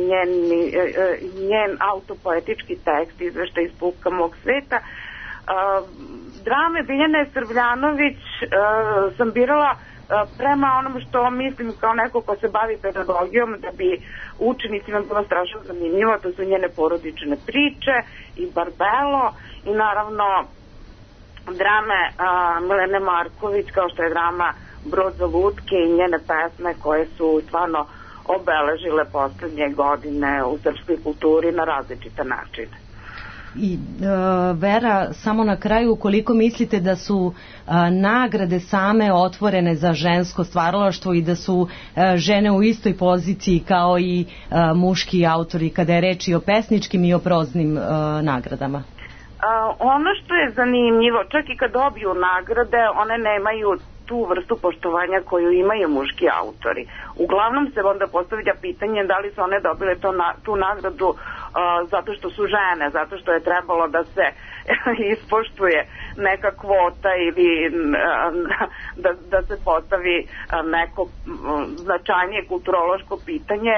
njen autopoetički tekst, izveštaj iz Pupka mog sveta. Drame Biljane Srbljanović sam birala prema onom što mislim kao neko ko se bavi pedagogijom, da bi učenicima bilo strašno zanimljivo. To su njene porodične priče i Barbelo i naravno drame Milene Marković, kao što je drama Brod za lutke i njene pesme koje su stvarno obeležile poslednje godine u srpskoj kulturi na različite načine. I Vera, samo na kraju, koliko mislite da su nagrade same otvorene za žensko stvaralaštvo i da su žene u istoj poziciji kao i muški autori kada je reč i o pesničkim i o proznim nagradama? Ono što je zanimljivo, čak i kad dobiju nagrade, one nemaju tu vrstu poštovanja koju imaju muški autori. Uglavnom se onda postavlja pitanje da li su one dobile tu nagradu zato što su žene, zato što je trebalo da se ispoštuje neka kvota ili da se postavi neko značajnije kulturološko pitanje.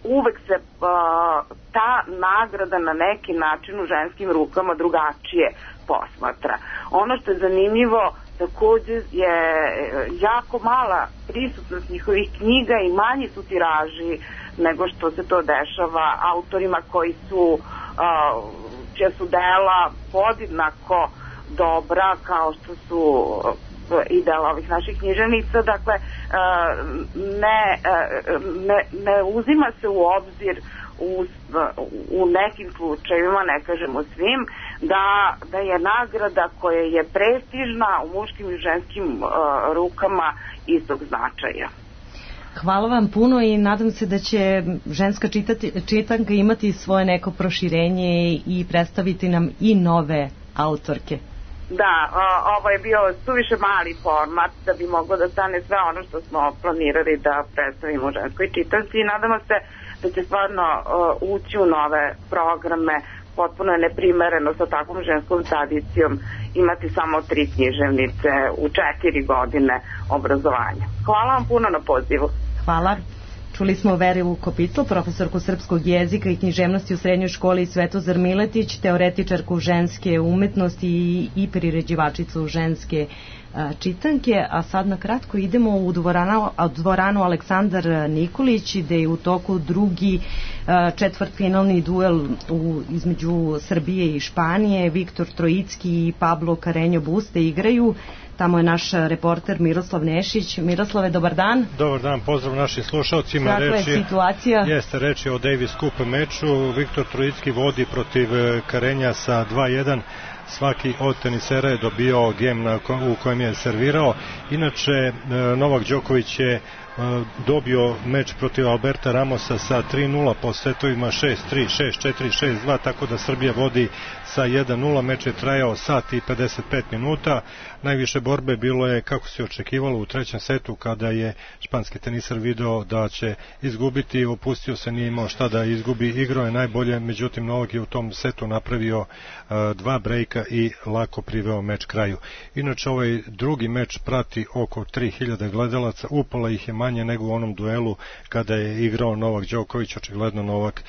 Uvek se ta nagrada na neki način u ženskim rukama drugačije posmatra. Ono što je zanimljivo takođe je jako mala prisutnost njihovih knjiga i manji su tiraži nego što se to dešava autorima koji su čija su dela podjednako dobra kao što su i dela ovih naših književnica. Dakle, ne uzima se u obzir u nekim slučajevima, ne kažem u svim, da je nagrada koja je prestižna u muškim i ženskim rukama istog značaja. Hvala vam puno i nadam se da će ženska čitanka imati svoje neko proširenje i predstaviti nam i nove autorke. Da, ovo je bio suviše mali format da bi moglo da stane sve ono što smo planirali da predstavimo u ženskoj čitanci i nadamo se da će stvarno ući u nove programe. Potpuno je neprimereno sa takvom ženskom tradicijom imati samo 3 književnice u 4 godine obrazovanja. Hvala vam puno na pozivu. Hvala. Čuli smo Verilu Kopitlo, profesorku srpskog jezika i književnosti u srednjoj školi Svetozar Miletić, teoretičarku ženske umetnosti i priređivačicu ženske čitanke, a sad na kratko idemo u dvoranu Aleksandar Nikolić, gde je u toku drugi četvrtfinalni duel između Srbije i Španije. Viktor Trojicki i Pablo Carreño Buste igraju. Tamo je naš reporter Miroslav Nešić. Miroslave, dobar dan. Dobar dan, pozdrav našim slušalcima. Kakva je situacija? Jeste, reč je o Davis Cup meču. Viktor Trojicki vodi protiv Carreña sa 2-1. Svaki od tenisera je dobio gem u kojem je servirao. Inače, Novak Đoković je dobio meč protiv Alberta Ramosa sa 3-0 po setovima 6-3, 6-4, 6-2, tako da Srbija vodi sa 1-0. Meč je trajao sat i 55 minuta. Najviše borbe bilo je, kako se očekivalo, u trećem setu, kada je španski tenisar video da će izgubiti, opustio se, nije imao šta da izgubi, igrao je najbolje, međutim Novak je u tom setu napravio 2 brejka i lako priveo meč kraju. Inače, ovaj drugi meč prati oko 3000 gledalaca, upala ih je manje nego u onom duelu kada je igrao Novak Đoković. Očigledno Novak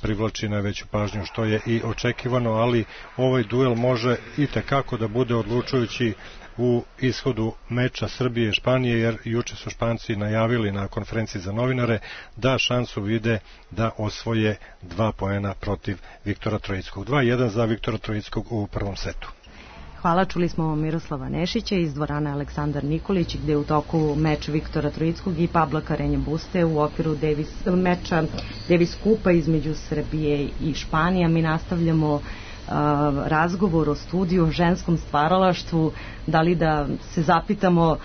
privlači najveću pažnju, što je i očekivano, ali ovaj duel može i tekako da bude odlučujući u ishodu meča Srbije i Španije, jer juče su Španci najavili na konferenciji za novinare da šansu vide da osvoje 2 poena protiv Viktora Trojickog. 2-1 za Viktora Trojickog u prvom setu. Hvala, čuli smo Miroslava Nešića iz dvorane Aleksandar Nikolić, gde je u toku meč Viktora Trojickog i Pabla Karenje Buste u okviru meča Davis Kupa između Srbije i Španije. Mi nastavljamo razgovor o studiju, o ženskom stvaralaštvu. Da li da se zapitamo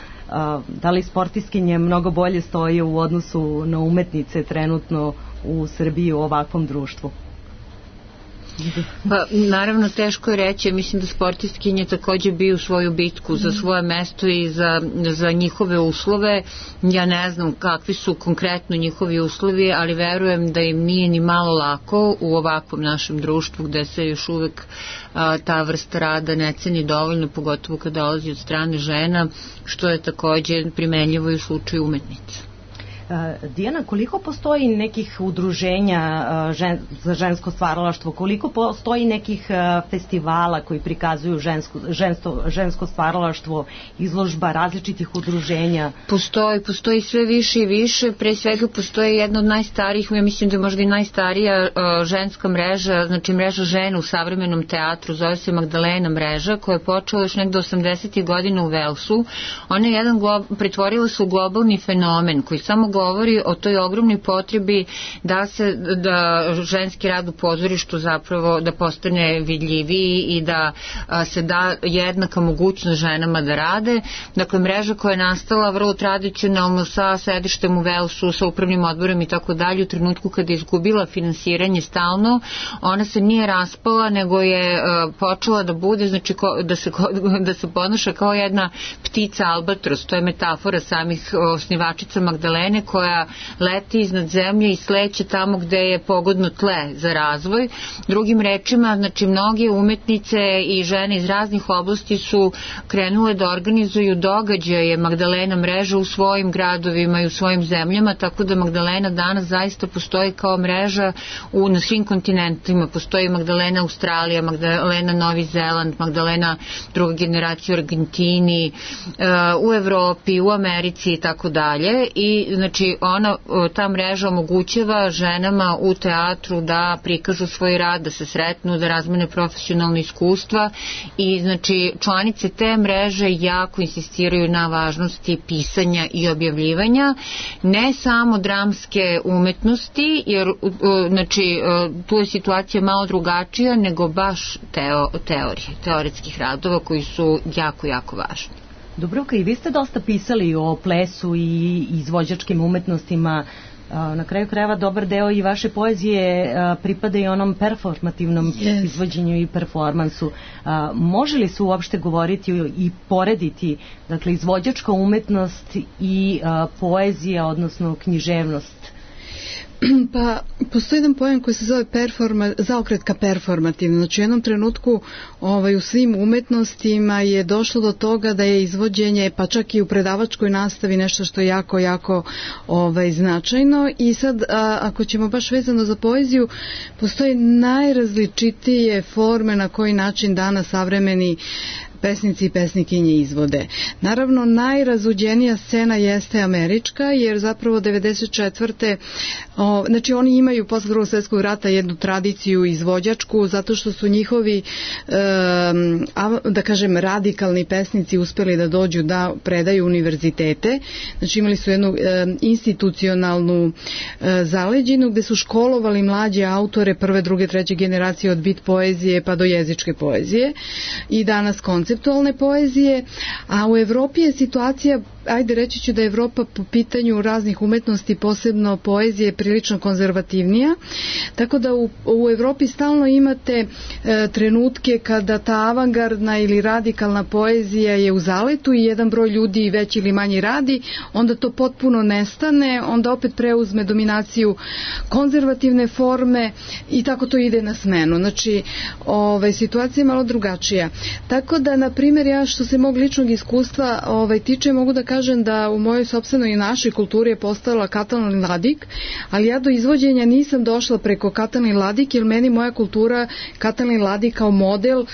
da li sportistkinje mnogo bolje stoje u odnosu na umetnice trenutno u Srbiji u ovakvom društvu? Pa, naravno, teško je reći. Mislim da sportistkinje takođe biju svoju bitku za svoje mesto i za njihove uslove. Ja ne znam kakvi su konkretno njihovi uslovi, ali verujem da im nije ni malo lako u ovakvom našem društvu, gde se još uvek ta vrsta rada ne ceni dovoljno, pogotovo kada dolazi od strane žena, što je takođe primenljivo i u slučaju umetnica. Dijana, koliko postoji nekih udruženja za žensko stvaralaštvo, koliko postoji nekih festivala koji prikazuju žensko stvaralaštvo, izložba različitih udruženja? Postoji sve više i više. Pre svega postoji jedna od najstarijih, ja mislim da je možda i najstarija ženska mreža, znači mreža žena u savremenom teatru, zove se Magdalena mreža, koja je počela još nekdo 80. godina u Velsu. Ona je pretvorila se u globalni fenomen koji samo govori o toj ogromnoj potrebi da ženski rad u pozorištu zapravo da postane vidljiviji i da se da jednaka mogućnost ženama da rade. Dakle, mreža koja je nastala vrlo tradicionalno sa sedištem u Velsu, sa upravnim odborom i tako dalje, u trenutku kada je izgubila finansiranje stalno, ona se nije raspala, nego je počela da bude, znači da se ponaša kao jedna ptica albatros. To je metafora samih osnivačica Magdalene, koja leti iznad zemlje i sleće tamo gde je pogodno tle za razvoj. Drugim rečima, znači mnoge umetnice i žene iz raznih oblasti su krenule da organizuju događaje Magdalena mreža u svojim gradovima i u svojim zemljama, tako da Magdalena danas zaista postoji kao mreža na svim kontinentima. Postoji Magdalena Australija, Magdalena Novi Zeland, Magdalena druga generacija u Argentini, u Evropi, u Americi i tako dalje. I znači ta mreža omogućava ženama u teatru da prikažu svoj rad, da se sretnu, da razmene profesionalno iskustva i znači članice te mreže jako insistiraju na važnosti pisanja i objavljivanja, ne samo dramske umetnosti, jer znači tu je situacija malo drugačija, nego baš teoretskih radova koji su jako, jako važni. Dubravka, i vi ste dosta pisali o plesu i izvođačkim umetnostima. Na kraju krajeva dobar deo i vaše poezije pripada i onom performativnom izvođenju i performansu. Može li se uopšte govoriti i porediti, dakle, izvođačka umetnost i poezija, odnosno književnost? Pa, postoji jedan pojam koji se zove zaokretka performativna. Znači, u jednom trenutku u svim umetnostima je došlo do toga da je izvođenje, pa čak i u predavačkoj nastavi, nešto što je jako, jako značajno. I sad, ako ćemo baš vezano za poeziju, postoje najrazličitije forme na koji način danas savremeni pesnici i pesnikinje izvode. Naravno, najrazuđenija scena jeste američka, jer zapravo 94. Znači oni imaju posle Drugog svjetskog rata jednu tradiciju izvođačku, zato što su njihovi da kažem radikalni pesnici uspeli da dođu da predaju univerzitete. Znači imali su jednu institucionalnu zaleđinu gde su školovali mlađe autore prve, druge, treće generacije od bit poezije pa do jezičke poezije i danas konceptualne poezije, a u Evropi je situacija ajde reći ću da je Evropa po pitanju raznih umetnosti, posebno poezije, prilično konzervativnija, tako da u Evropi stalno imate trenutke kada ta avangardna ili radikalna poezija je u zaletu i jedan broj ljudi veći ili manji radi, onda to potpuno nestane, onda opet preuzme dominaciju konzervativne forme i tako to ide na smenu. Znači, situacija je malo drugačija. Tako da, na primjer, ja što se mog ličnog iskustva tiče, mogu da kažem da u mojoj sopstvenoj i našoj kulturi je postala Katalin Ladik, ali ja do izvođenja nisam došla preko Katalin Ladik, jer meni moja kultura Katalin Ladik kao model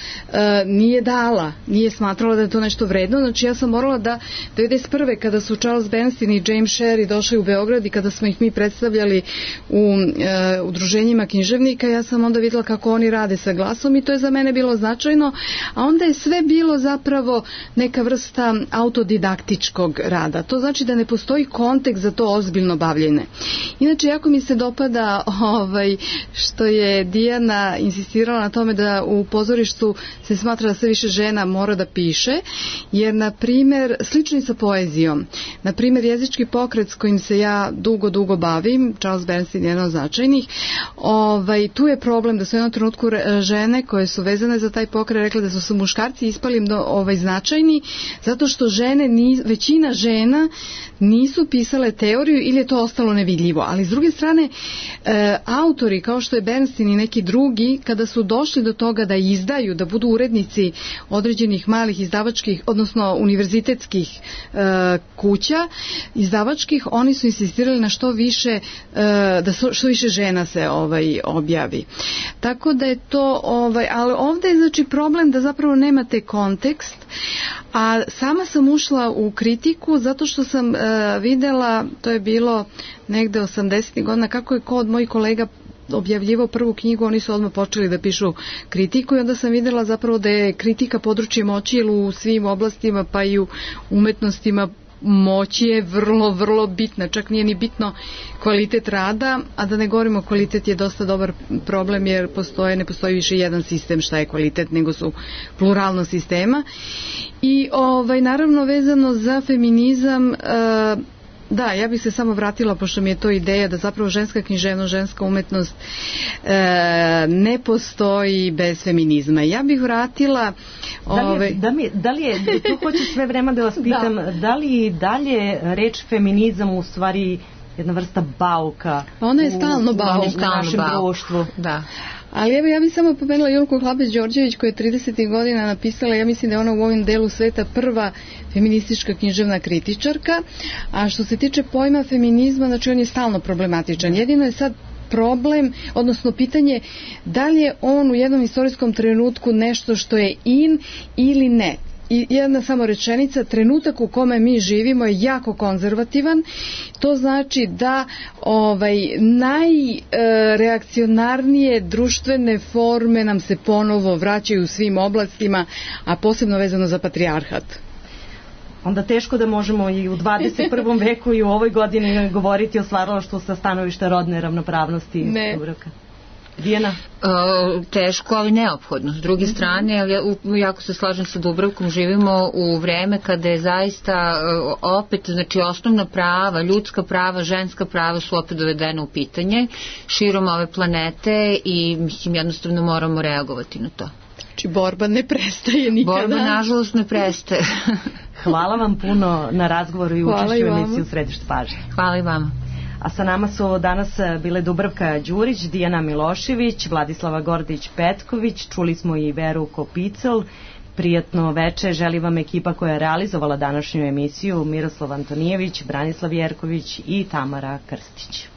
nije dala, nije smatrala da je to nešto vredno. Znači, ja sam morala da 1991. kada su Charles Bernstein i James Sherry došli u Beograd i kada smo ih mi predstavljali u udruženjima književnika, ja sam onda videla kako oni rade sa glasom i to je za mene bilo značajno, a onda je sve bilo zapravo neka vrsta autodidaktičkog rada. To znači da ne postoji kontekst za to ozbiljno bavljenje. Inače, jako mi se dopada što je Dijana insistirala na tome da u pozorištu se smatra da sve više žena mora da piše, jer, na primjer, slično i sa poezijom. Na primjer, jezički pokret s kojim se ja dugo bavim, Charles Bernstein je jedan od značajnih, tu je problem da su u jednom trenutku žene koje su vezane za taj pokret rekle da su muškarci ispali značajni, zato što većina žena nisu pisale teoriju ili je to ostalo nevidljivo. Ali s druge strane, autori kao što je Bernstein i neki drugi, kada su došli do toga da izdaju, da budu urednici određenih malih izdavačkih, odnosno univerzitetskih kuća izdavačkih, oni su insistirali na što više, da što više žena se objavi. Tako da je to, ali ovdje je znači problem da zapravo nemate kontekst, a sama sam ušla u kritiku zato što sam videla, to je bilo negde 80. godina, kako je kod mojih kolega objavljivao prvu knjigu, oni su odmah počeli da pišu kritiku i onda sam videla zapravo da je kritika područje moći u svim oblastima, pa i u umetnostima moći je vrlo bitna, čak nije ni bitno kvalitet rada, a da ne govorimo kvalitet je dosta dobar problem jer ne postoji više jedan sistem šta je kvalitet, nego su pluralno sistema. I naravno vezano za feminizam, da, ja bih se samo vratila, pošto mi je to ideja da zapravo ženska književnost, ženska umetnost ne postoji bez feminizma. Ja bih vratila... Da li je, to hoću sve vreme da vas pitam, da li dalje reč feminizam u stvari jedna vrsta bauka ona je stalno bauk u našem društvu? Da. Ali evo, ja bih samo pomenula Julku Hlapec-Đorđević koja je 30. godina napisala, ja mislim da je ona u ovom delu sveta prva feministička književna kritičarka, a što se tiče pojma feminizma, znači on je stalno problematičan. Jedino je sad problem, odnosno pitanje da li je on u jednom istorijskom trenutku nešto što je in ili ne. I jedna samo rečenica, trenutak u kome mi živimo je jako konzervativan, to znači da najreakcionarnije društvene forme nam se ponovo vraćaju u svim oblastima, a posebno vezano za patrijarhat. Onda teško da možemo i u 21. veku i u ovoj godini govoriti o stvaralaštvu sa stanovišta rodne ravnopravnosti. Ne. Dijana? Teško, ali neophodno. S druge strane, jako se slažem sa Dubravkom, živimo u vreme kada je zaista opet, znači osnovna prava, ljudska prava, ženska prava su opet dovedene u pitanje širom ove planete i mislim jednostavno moramo reagovati na to. Znači borba ne prestaje nikada. Borba nažalost ne prestaje. Hvala vam puno na razgovoru i učešću u emisiji U središtu pažnje. Hvala i vama. A sa nama su danas bile Dubravka Đurić, Dijana Milošević, Vladislava Gordić-Petković, čuli smo i Veru Kopicel. Prijatno veče želi vam ekipa koja je realizovala današnju emisiju, Miroslav Antonijević, Branislav Jerković i Tamara Krstić.